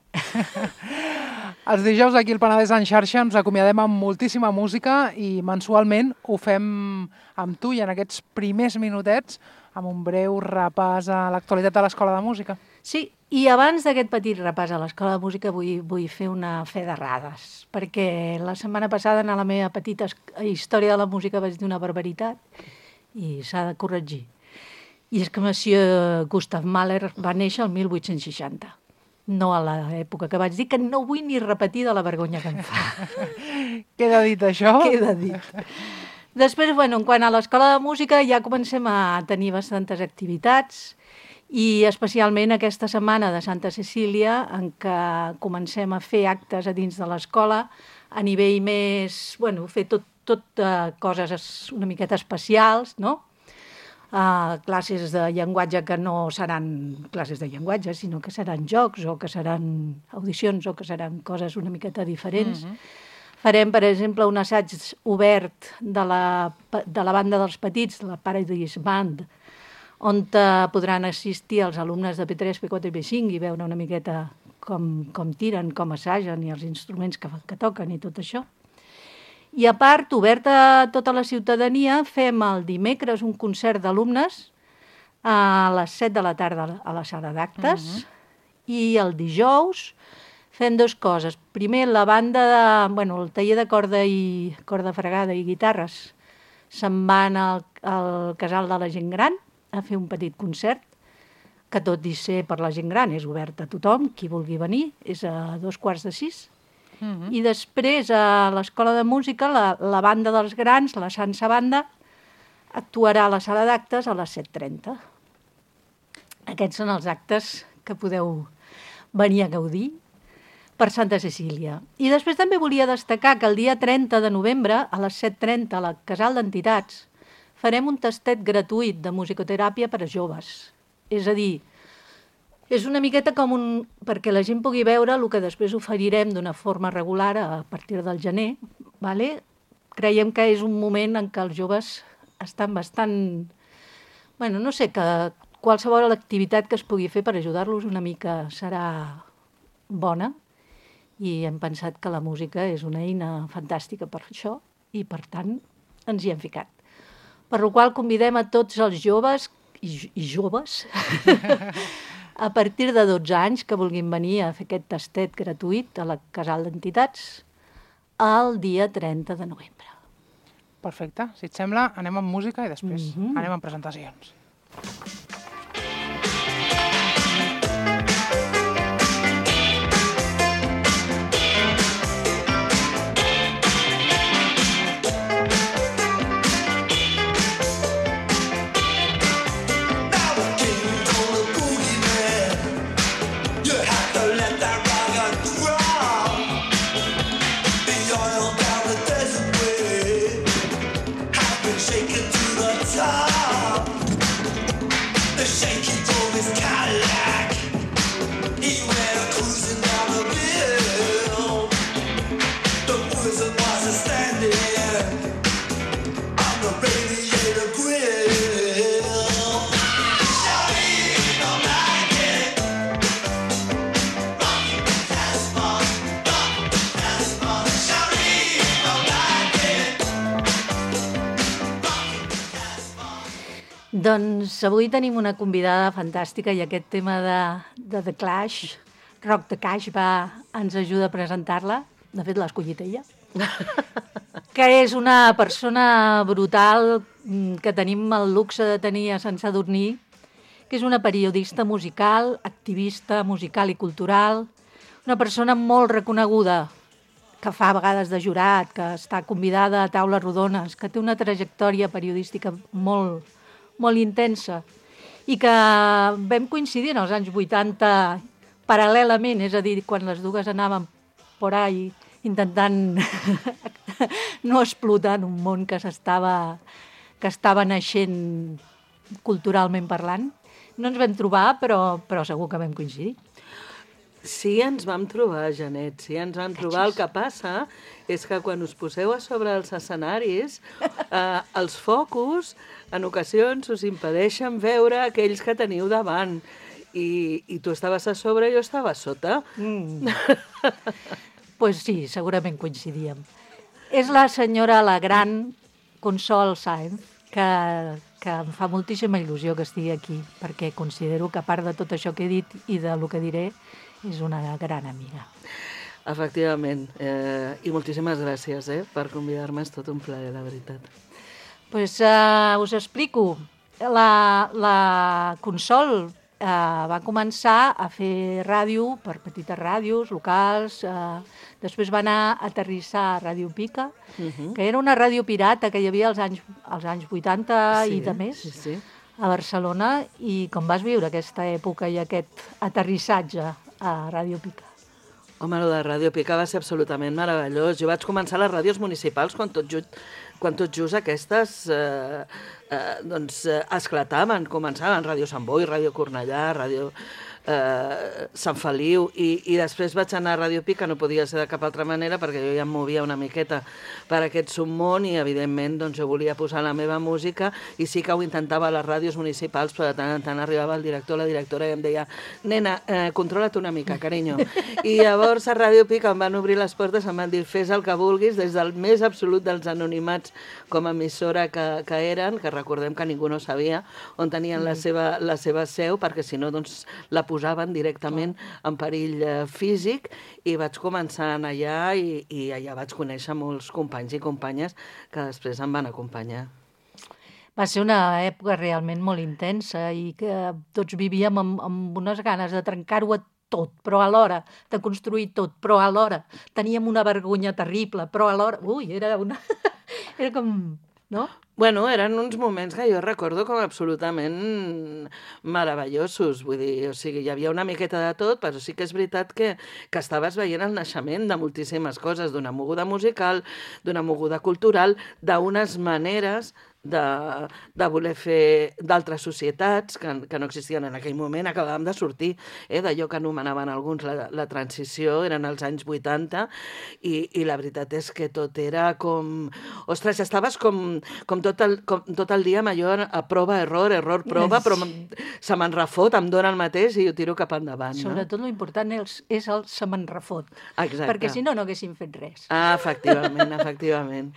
Els dijous aquí al Penedès en xarxa ens acomiadem amb moltíssima música i mensualment ho fem amb tu i en aquests primers minutets amb un breu repàs a l'actualitat de l'Escola de Música. Sí, i abans d'aquest petit repàs a l'Escola de Música vull, vull fer una fe d'errades, perquè la setmana passada en la meva petita història de la música vaig dir una barbaritat i s'ha de corregir. I és que Monsieur Gustav Mahler va néixer el mil vuit-cents seixanta, no a l'època que vaig dir, que no vull ni repetir de la vergonya que em fa. Queda dit això? Queda dit. Després, bueno, en quant a l'Escola de Música, ja comencem a tenir bastantes activitats, i especialment aquesta setmana de Santa Cecília, en què comencem a fer actes a dins de l'escola a nivell més, bueno, fer tot, tot uh, coses una miqueta especials, no? Uh, classes de llenguatge que no seran classes de llenguatge, sinó que seran jocs o que seran audicions o que seran coses una miqueta diferents. Mm-hmm. Farem, per exemple, un assaig obert de la, de la banda dels petits, la Paradise Band, on podran assistir els alumnes de P tres, P quatre i P cinc i veure una miqueta com, com tiren, com assagen i els instruments que, que toquen i tot això. I a part, obert a tota la ciutadania, fem el dimecres un concert d'alumnes a les set de la tarda a la sala d'actes. Uh-huh. I el dijous fem dues coses. Primer, la banda, de, bueno, el taller de corda i corda fregada i guitarres se'n van al, al casal de la gent gran a fer un petit concert, que tot i ser per la gent gran és obert a tothom, qui vulgui venir, és a dos quarts de sis. Mm-hmm. I després a l'Escola de Música, la, la banda dels grans, la Sansa Banda, actuarà a la sala d'actes a les set trenta. Aquests són els actes que podeu venir a gaudir per Santa Cecília. I després també volia destacar que el dia trenta de novembre, a les set trenta, a la Casal d'Entitats, farem un tastet gratuït de musicoteràpia per a joves. És a dir, és una miqueta com un... perquè la gent pugui veure el que després oferirem d'una forma regular a partir del gener. Vale? Creiem que és un moment en què els joves estan bastant... Bueno, no sé, que qualsevol activitat que es pugui fer per ajudar-los una mica serà bona, i hem pensat que la música és una eina fantàstica per això i, per tant, ens hi hem ficat. Per la qual convidem a tots els joves i, i joves a partir de dotze anys que vulguin venir a fer aquest tastet gratuït a la Casal d'Entitats el dia trenta de novembre. Perfecte. Si et sembla, anem amb música i després mm-hmm. anem amb presentacions. Doncs avui tenim una convidada fantàstica i aquest tema de, de The Clash, Rock the Cash, va, ens ajuda a presentar-la. De fet, l'ha escollit ella. Que és una persona brutal que tenim el luxe de tenir a Sant Sadurní, que és una periodista musical, activista musical i cultural, una persona molt reconeguda, que fa a vegades de jurat, que està convidada a taules rodones, que té una trajectòria periodística molt, molt intensa i que vam coincidir en els anys vuitanta paral·lelament, és a dir, quan les dues anàvem por ahí intentant no explotar en un món que s'estava que estava naixent culturalment parlant. No ens vam trobar, però, però segur que vam coincidir. Sí, ens vam trobar, Janet, sí, ens vam trobar. El que passa és que quan us poseu a sobre els escenaris, eh, els focus, en ocasions, us impedeixen veure aquells que teniu davant. I, i tu estaves a sobre i jo estava a sota. Mm. Pues sí, segurament coincidíem. És la senyora, la gran Consol Sáenz, que, que em fa moltíssima il·lusió que estigui aquí, perquè considero que a part de tot això que he dit i del que diré, és una gran amiga. Efectivament. Eh, I moltíssimes gràcies eh, per convidar-me. És tot un plaer, la veritat. Pues, uh, us explico. La, la Consol uh, va començar a fer ràdio per petites ràdios locals. Uh, després va anar a aterrissar a Ràdio Pica, uh-huh. que era una ràdio pirata que hi havia als anys, als anys vuitanta sí, i de més. Sí, sí. A Barcelona, i com vas viure aquesta època i aquest aterrissatge a Ràdio Pica? Home, el de Ràdio Pica va ser absolutament meravellós. Jo vaig començar a les ràdios municipals quan tot just, quan tot just aquestes eh, eh, doncs, eh, esclataven, començaven Ràdio Sant Boi, Ràdio Cornellà, Ràdio eh, Sant Feliu, i, i després vaig anar a Ràdio Pica, no podia ser de cap altra manera perquè jo ja em movia una miqueta per aquest submón i evidentment doncs, jo volia posar la meva música i sí que ho intentava a les ràdios municipals, però de tant en tant arribava el director o la directora i em deia nena, eh, controla't una mica, carinyo. I llavors a Ràdio Pica em van obrir les portes, em van dir fes el que vulguis, des del més absolut dels anonimats com a emissora que, que eren, que recordem que ningú no sabia on tenien la seva, la seva seu, perquè si no doncs, la posaven directament en perill eh, físic, i vaig començar a anar allà i, i allà vaig conèixer molts companys i companyes que després em van acompanyar. Va ser una època realment molt intensa i que tots vivíem amb, amb unes ganes de trencar-ho tot, però alhora, de construir tot, però alhora teníem una vergonya terrible, però alhora... Ui, era una... era com... no? Bueno, eren uns moments que jo recordo com absolutament meravellosos, vull dir, o sigui, hi havia una miqueta de tot, però sí que és veritat que, que estaves veient el naixement de moltíssimes coses, d'una moguda musical, d'una moguda cultural, d'unes maneres de, de voler fer d'altres societats que, que no existien en aquell moment, acabàvem de sortir eh, d'allò que anomenaven alguns la, la transició, eren els anys vuitanta, i, i la veritat és que tot era com... Ostres, estaves com, com, tot el, com tot el dia amb allò a prova, error, error, prova, però se me'n refot, em dóna el mateix i ho tiro cap endavant. No? Sobretot l'important és, és el se me'n refot, exacte. Perquè si no, no haguéssim fet res. Ah, efectivament, efectivament.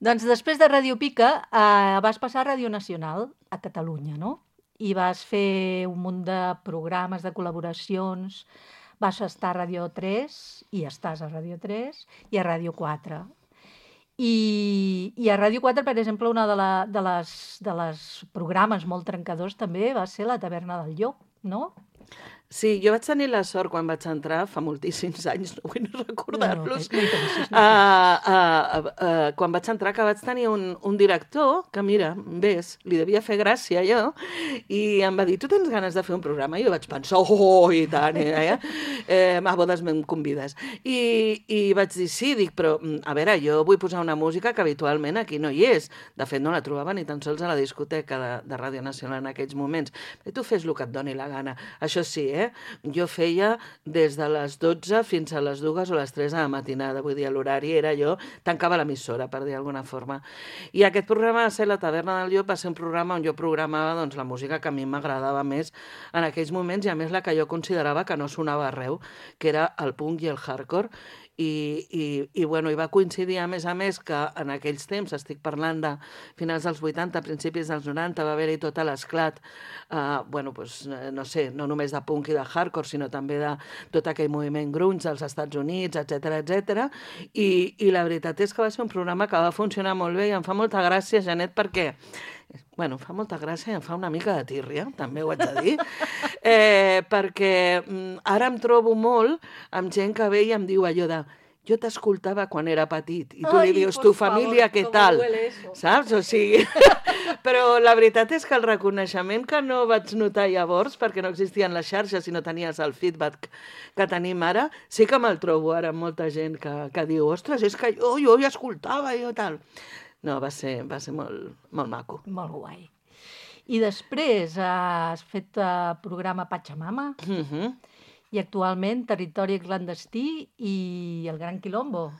Doncs després de Ràdio Pica eh, vas passar a Ràdio Nacional a Catalunya, no? I vas fer un munt de programes, de col·laboracions, vas estar a Ràdio tres, i estàs a Ràdio tres, i a Ràdio quatre. I, i a Ràdio quatre, per exemple, una de, la, de, les, de les programes molt trencadors també va ser la Taverna del Llop, no? Sí, jo vaig tenir la sort quan vaig entrar, fa moltíssims anys, no vull recordar-los, no, no, no, no, no. uh, uh, uh, quan vaig entrar que vaig tenir un, un director que, mira, ves, li devia fer gràcia jo, i em va dir, tu tens ganes de fer un programa? I jo vaig pensar, oh, i tant, eh? eh a bodes me'n convides. I, I vaig dir, sí, dic, però, a veure, jo vull posar una música que habitualment aquí no hi és. De fet, no la trobava ni tan sols a la discoteca de, de Ràdio Nacional en aquells moments. I tu fes el que et doni la gana. Això sí, eh? Jo feia des de les dotze fins a les dues o les tres de la matinada, vull dir, l'horari era jo, tancava l'emissora, per dir d'alguna forma. I aquest programa va ser La Taverna del Llop, va ser un programa on jo programava doncs, la música que a mi m'agradava més en aquells moments, i a més la que jo considerava que no sonava arreu, que era el punk i el hardcore. I, i, i, bueno, i va coincidir, a més a més, que en aquells temps, estic parlant de finals dels vuitanta, principis dels noranta, va haver-hi tot l'esclat, eh, bueno, pues, no sé, no només de punk i de hardcore, sinó també de tot aquell moviment grunge dels Estats Units, etcètera, etcètera. I, i la veritat és que va ser un programa que va funcionar molt bé i em fa molta gràcia, Janet, perquè bueno, fa molta gràcia i em fa una mica de tírria, també ho haig de dir, eh, perquè mm, ara em trobo molt amb gent que ve i em diu allò de jo t'escoltava quan era petit, i tu Ai, li dius, tu família, què tal? Saps? O sigui, Però la veritat és que el reconeixement que no vaig notar llavors, perquè no existien les xarxes i no tenies el feedback que tenim ara, sí que me'l trobo ara amb molta gent que, que diu, ostres, és que jo, jo hi escoltava i tal. No, va ser, va ser molt, molt maco. Molt guai. I després has fet uh, programa Pachamama Uh-huh. i actualment Territori Clandestí i El Gran Quilombo.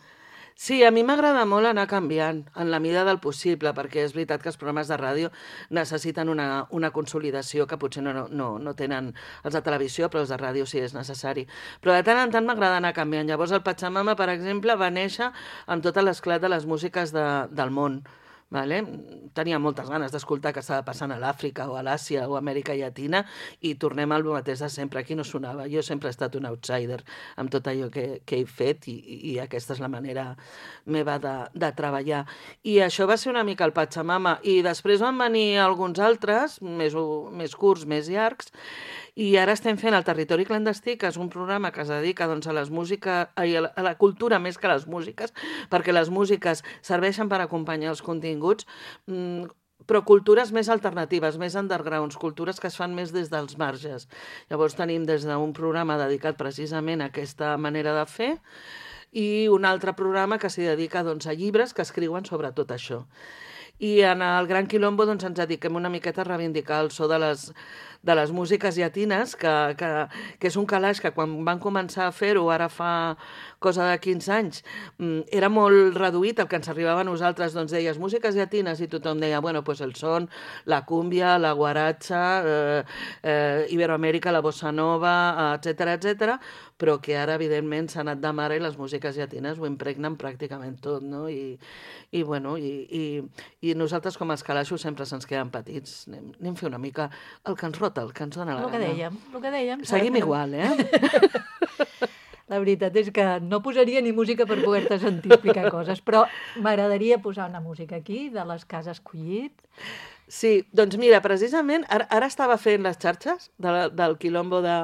Sí, a mi m'agrada molt anar canviant en la mida del possible, perquè és veritat que els programes de ràdio necessiten una, una consolidació que potser no, no, no tenen els de televisió, però els de ràdio sí és necessari. Però de tant en tant m'agrada anar canviant. Llavors el Pachamama, per exemple, va néixer amb tot l'esclat de les músiques de, del món. Vale? Tenia moltes ganes d'escoltar què estava passant a l'Àfrica o a l'Àsia o a Amèrica Llatina i tornem al mateix de sempre. Aquí no sonava. Jo sempre he estat un outsider amb tot allò que, que he fet i, i aquesta és la manera meva de, de treballar. I això va ser una mica el Pachamama. I després van venir alguns altres, més, més curts, més llargs, i ara estem fent el Territori Clandestí, que és un programa que es dedica doncs, a, les música, a la cultura més que a les músiques, perquè les músiques serveixen per acompanyar els continguts, però cultures més alternatives, més undergrounds, cultures que es fan més des dels marges. Llavors tenim des d'un programa dedicat precisament a aquesta manera de fer i un altre programa que s'hi dedica doncs, a llibres que escriuen sobre tot això. I en el Gran Quilombo doncs, ens dediquem una miqueta a reivindicar el so de les, de les músiques llatines, que, que, que és un calaix que quan van començar a fer-ho, ara fa cosa de quinze anys, era molt reduït el que ens arribava a nosaltres, doncs deies músiques llatines i tothom deia, bueno, pues el son, la cúmbia, la guaratxa, eh, eh, Iberoamèrica, la bossa nova, etcètera, etcètera, però que ara, evidentment, s'ha anat de mare i les músiques llatines ho impregnen pràcticament tot, no? I, i bueno, i, i, i nosaltres com els calaixos sempre se'ns queden petits. Anem, anem a fer una mica el que ens rota, el que ens dona la gana. El que dèiem, el que dèiem. Seguim igual, eh? La veritat és que no posaria ni música per poder-te sentir explicar coses, però m'agradaria posar una música aquí, de les que has escollit. Sí, doncs mira, precisament, ara, ara estava fent les xarxes de, del Quilombo de...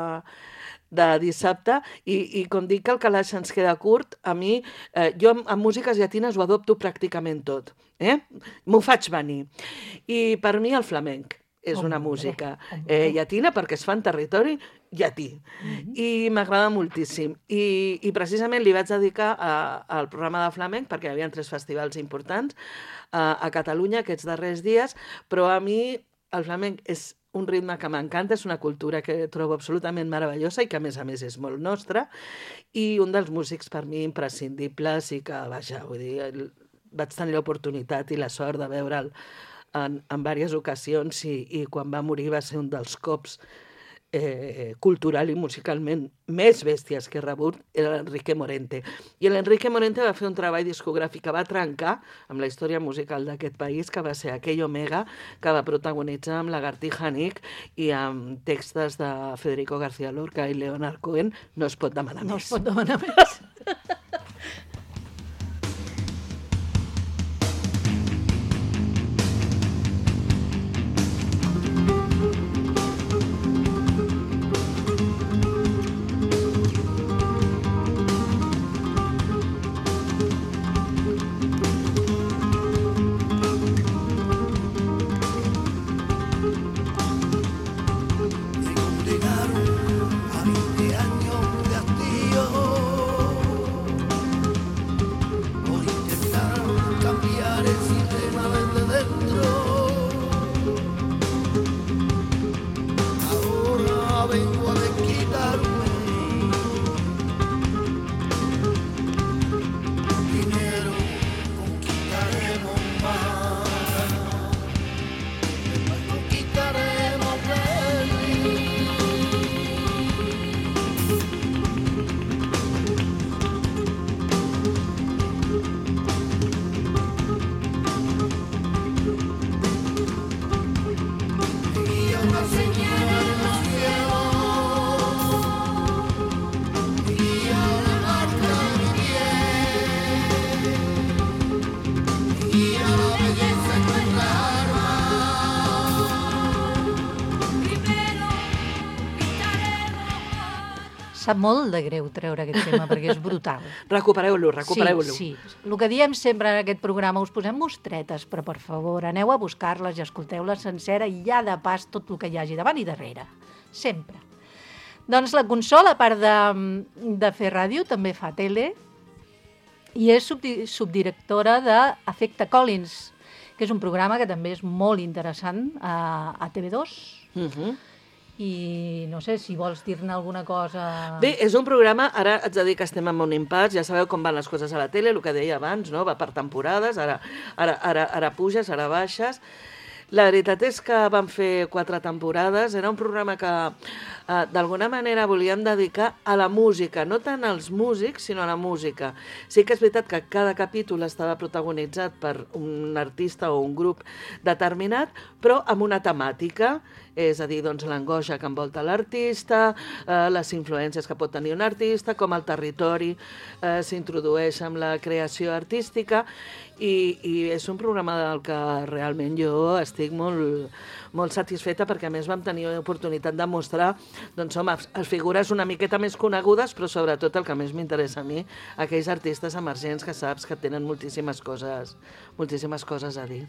de dissabte, i, i com dic que el calaix ens queda curt, a mi, eh, jo amb, amb músiques llatines ho adopto pràcticament tot, eh? M'ho faig venir. I per mi el flamenc és una música eh, llatina perquè es fa en territori llatí. Mm-hmm. I m'agrada moltíssim. I, I precisament li vaig dedicar a, al programa de flamenc perquè hi havia tres festivals importants a, a Catalunya aquests darrers dies, però a mi el flamenc és un ritme que m'encanta, és una cultura que trobo absolutament meravellosa i que, a més a més, és molt nostra, i un dels músics per mi imprescindibles i que, vaja, vull dir, vaig tenir l'oportunitat i la sort de veure'l en, en diverses ocasions i, i quan va morir va ser un dels cops eh, cultural i musicalment més bèsties que he rebut, era l'Enrique Morente. I l'Enrique Morente va fer un treball discogràfic que va trencar amb la història musical d'aquest país, que va ser aquell Omega, que va protagonitzar amb Lagartija Nick i amb textos de Federico García Lorca i Leonard Cohen. No es pot demanar no més. No es pot demanar més. Condenaron a veinte años de hastío. sap molt de greu treure aquest tema, perquè és brutal. Recupereu-lo, recupereu-lo. Sí, sí. El que diem sempre en aquest programa, us posem mostretes, però per favor, aneu a buscar-les i escolteu-les sencera i ja de pas tot el que hi hagi davant i darrere. Sempre. Doncs la Consol, a part de, de fer ràdio, també fa tele i és subdi subdirectora d'Efecte Collins, que és un programa que també és molt interessant a, a T V dos. Uh-huh. I no sé si vols dir-ne alguna cosa... Bé, és un programa, ara haig de dir que estem en un impàs, ja sabeu com van les coses a la tele, el que deia abans, no? Va per temporades, ara, ara, ara, ara puges, ara baixes. La veritat és que vam fer quatre temporades, era un programa que eh, d'alguna manera volíem dedicar a la música, no tant als músics, sinó a la música. Sí que és veritat que cada capítol estava protagonitzat per un artista o un grup determinat, però amb una temàtica, és a dir, doncs, l'angoixa que envolta l'artista, eh, les influències que pot tenir un artista, com el territori eh, s'introdueix amb la creació artística, i, i és un programa del que realment jo estic molt, molt satisfeta, perquè a més vam tenir l'oportunitat de mostrar, doncs, home, les figures una miqueta més conegudes, però sobretot el que més m'interessa a mi, aquells artistes emergents que saps que tenen moltíssimes coses, moltíssimes coses a dir.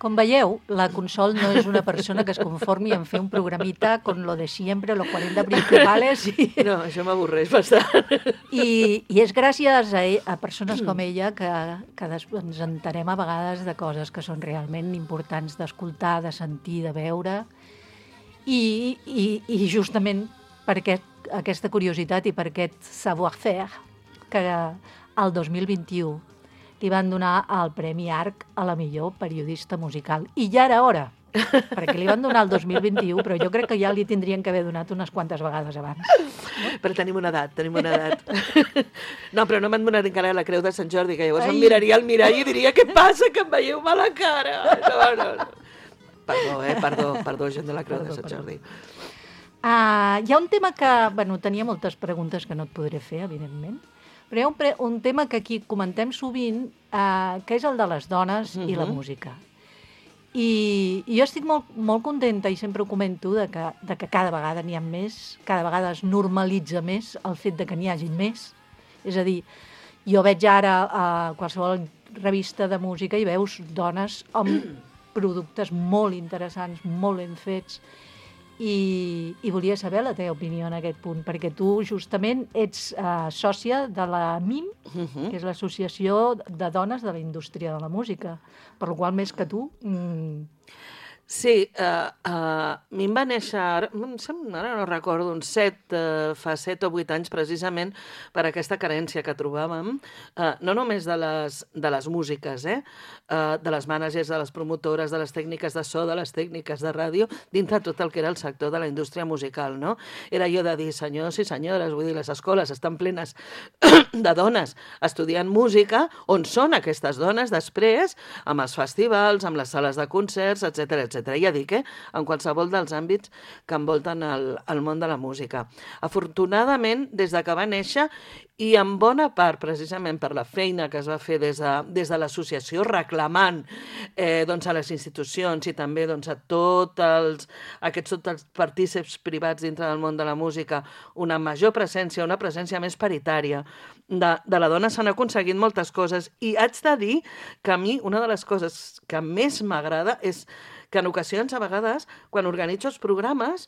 Com veieu, la Consol no és una persona que es conformi en fer un programita con lo de siempre, los cuarenta principales. I... No, això m'avorreix bastant. I, I és gràcies a, ell, a persones com ella que, que des, ens entenem a vegades de coses que són realment importants d'escoltar, de sentir, de veure. I, i, i justament per aquest, aquesta curiositat i per aquest savoir-faire que el dos mil vint-i-u li van donar el Premi Arc a la millor periodista musical. I ja era hora, perquè li van donar el dos mil vint-i-u, però jo crec que ja li tindrien que haver donat unes quantes vegades abans. No? Però tenim una edat, tenim una edat. No, però no m'han donat encara la Creu de Sant Jordi, que llavors Ai. em miraria al mirall i diria què passa, que em veieu mal a cara. No, no, no. Perdó, eh? Perdó, perdó, gent de la Creu Perdó, de Sant perdó. Jordi. Uh, hi ha un tema que, bueno, tenia moltes preguntes que no et podré fer, evidentment, però hi ha un, pre un tema que aquí comentem sovint, uh, que és el de les dones uh-huh. i la música. I, I jo estic molt, molt contenta, i sempre ho comento, de que, de que cada vegada n'hi ha més, cada vegada es normalitza més el fet de que n'hi hagi més. És a dir, jo veig ara a qualsevol revista de música i veus dones amb productes molt interessants, molt ben fets, I, i volia saber la teva opinió en aquest punt, perquè tu justament ets uh, sòcia de la M I M, uh-huh. que és l'Associació de Dones de la Indústria de la Música, per la qual més que tu... Mm... Sí, uh, uh, a mi em va néixer, ara, ara no recordo, uns set, uh, fa set o vuit anys precisament, per aquesta carència que trobàvem, uh, no només de les, de les músiques, eh? uh, de les mànagers, de les promotores, de les tècniques de so, de les tècniques de ràdio, dintre tot el que era el sector de la indústria musical, no? Era jo de dir, senyors i senyores, vull dir, les escoles estan plenes de dones estudiant música, on són aquestes dones després, amb els festivals, amb les sales de concerts, etcètera, etcètera. Ja dic, eh? En qualsevol dels àmbits que envolten el, el món de la música. Afortunadament, des de que va néixer, i en bona part, precisament per la feina que es va fer des de, des de l'associació, reclamant eh, doncs a les institucions i també doncs, a tots els, aquests tots els partícips privats dintre del món de la música, una major presència, una presència més paritària de, de la dona, s'han aconseguit moltes coses. I haig de dir que a mi una de les coses que més m'agrada és que en ocasions, a vegades, quan organitzo els programes,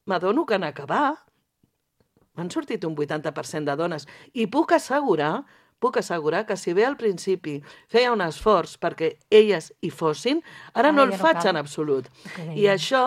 m'adono que en acabar m'han sortit un vuitanta per cent de dones. I puc assegurar, puc assegurar que si bé al principi feia un esforç perquè elles hi fossin, ara Ara no el ja no faig cal. en absolut. Que I això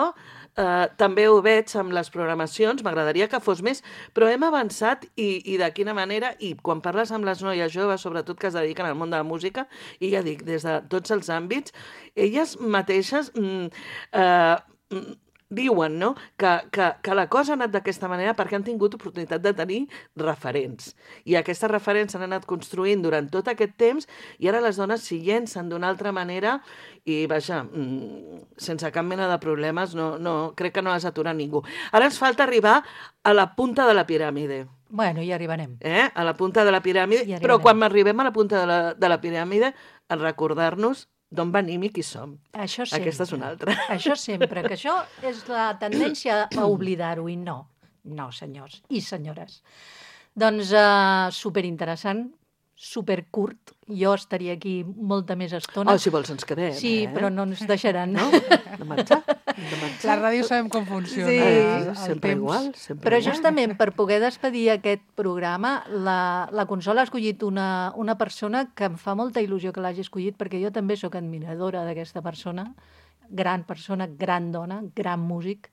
eh, també ho veig amb les programacions, m'agradaria que fos més, però hem avançat i, i de quina manera, i quan parles amb les noies joves, sobretot que es dediquen al món de la música, i ja dic, des de tots els àmbits, elles mateixes mm, eh, mm, diuen, no?, que, que, que la cosa ha anat d'aquesta manera perquè han tingut oportunitat de tenir referents. I aquestes referents s'han anat construint durant tot aquest temps i ara les dones s'hi llencen d'una altra manera i, vaja, sense cap mena de problemes, no, no, crec que no has aturat ningú. Ara ens falta arribar a la punta de la piràmide. Bueno, hi arribarem. Eh? A la punta de la piràmide, Hi però arribarem. quan arribem a la punta de la, de la piràmide, en recordar-nos d'on venim i qui som. Això sempre. Aquesta és una altra. Això sempre, que això és la tendència a oblidar-ho i no. No, senyors i senyores. Doncs uh, superinteressant, supercurt. Jo estaria aquí molta més estona. Oh, si vols ens quedem, Sí, eh? però no ens deixaran. No? De marxar? De marxar? La ràdio sabem com funciona. Sí. el, el Sempre temps. igual, sempre Però igual. justament per poder despedir aquest programa, la, la Consol ha escollit una, una persona que em fa molta il·lusió que l'hagi escollit, perquè jo també sóc admiradora d'aquesta persona, gran persona, gran dona, gran músic,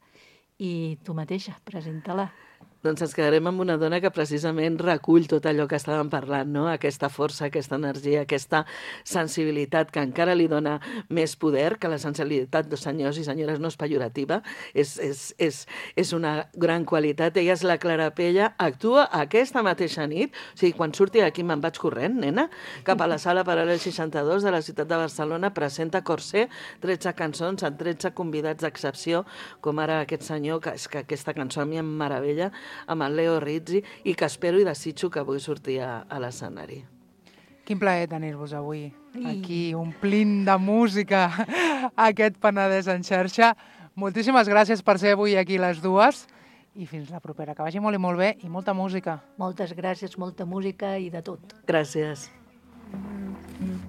i tu mateixa, presenta-la. Doncs ens quedarem amb una dona que precisament recull tot allò que estàvem parlant, no? Aquesta força, aquesta energia, aquesta sensibilitat que encara li dona més poder, que la sensibilitat de senyors i senyores no és pejorativa, és, és, és, és una gran qualitat. Ella és la Clara Pella, actua aquesta mateixa nit, o sigui, quan surti d'aquí me'n vaig corrent, nena, cap a la sala Paral·lel seixanta-dos de la ciutat de Barcelona, presenta Corsé, tretze cançons amb tretze convidats d'excepció, com ara aquest senyor, que, és que aquesta cançó a mi em meravella, amb el Leo Rizzi, i que espero i desitjo que avui sortir a, a l'escenari. Quin plaer tenir-vos avui aquí, omplint de música aquest Penedès en xarxa. Moltíssimes gràcies per ser avui aquí les dues i fins la propera. Que vagi molt i molt bé i molta música. Moltes gràcies, molta música i de tot. Gràcies.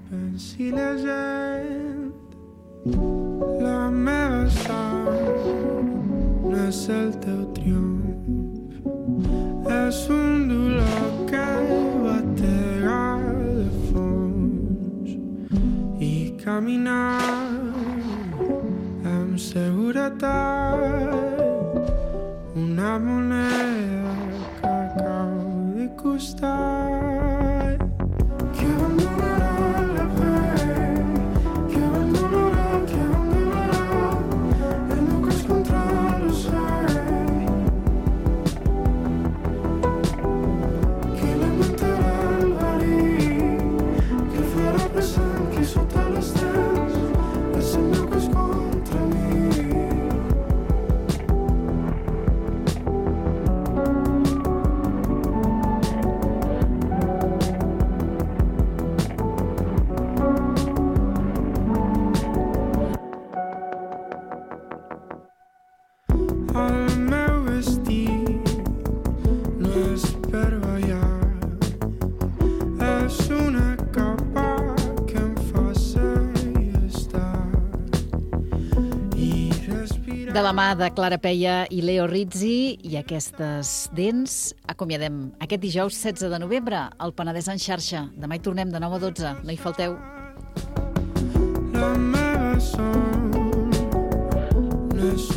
Pensi la gent, la meva sang no és el teu triomf. És un dolor que batega de fons i caminar amb seguretat, una moneda que cau de costat, que abandonarà la pell, que abandonarà, que abandonarà el meu cos contra l'ocell. De la mà de Clara Pella i Leo Rizzi i aquestes dents, acomiadem aquest dijous setze de novembre al Penedès en xarxa. Demà hi tornem de nou a dotze. No hi falteu. La meva son no és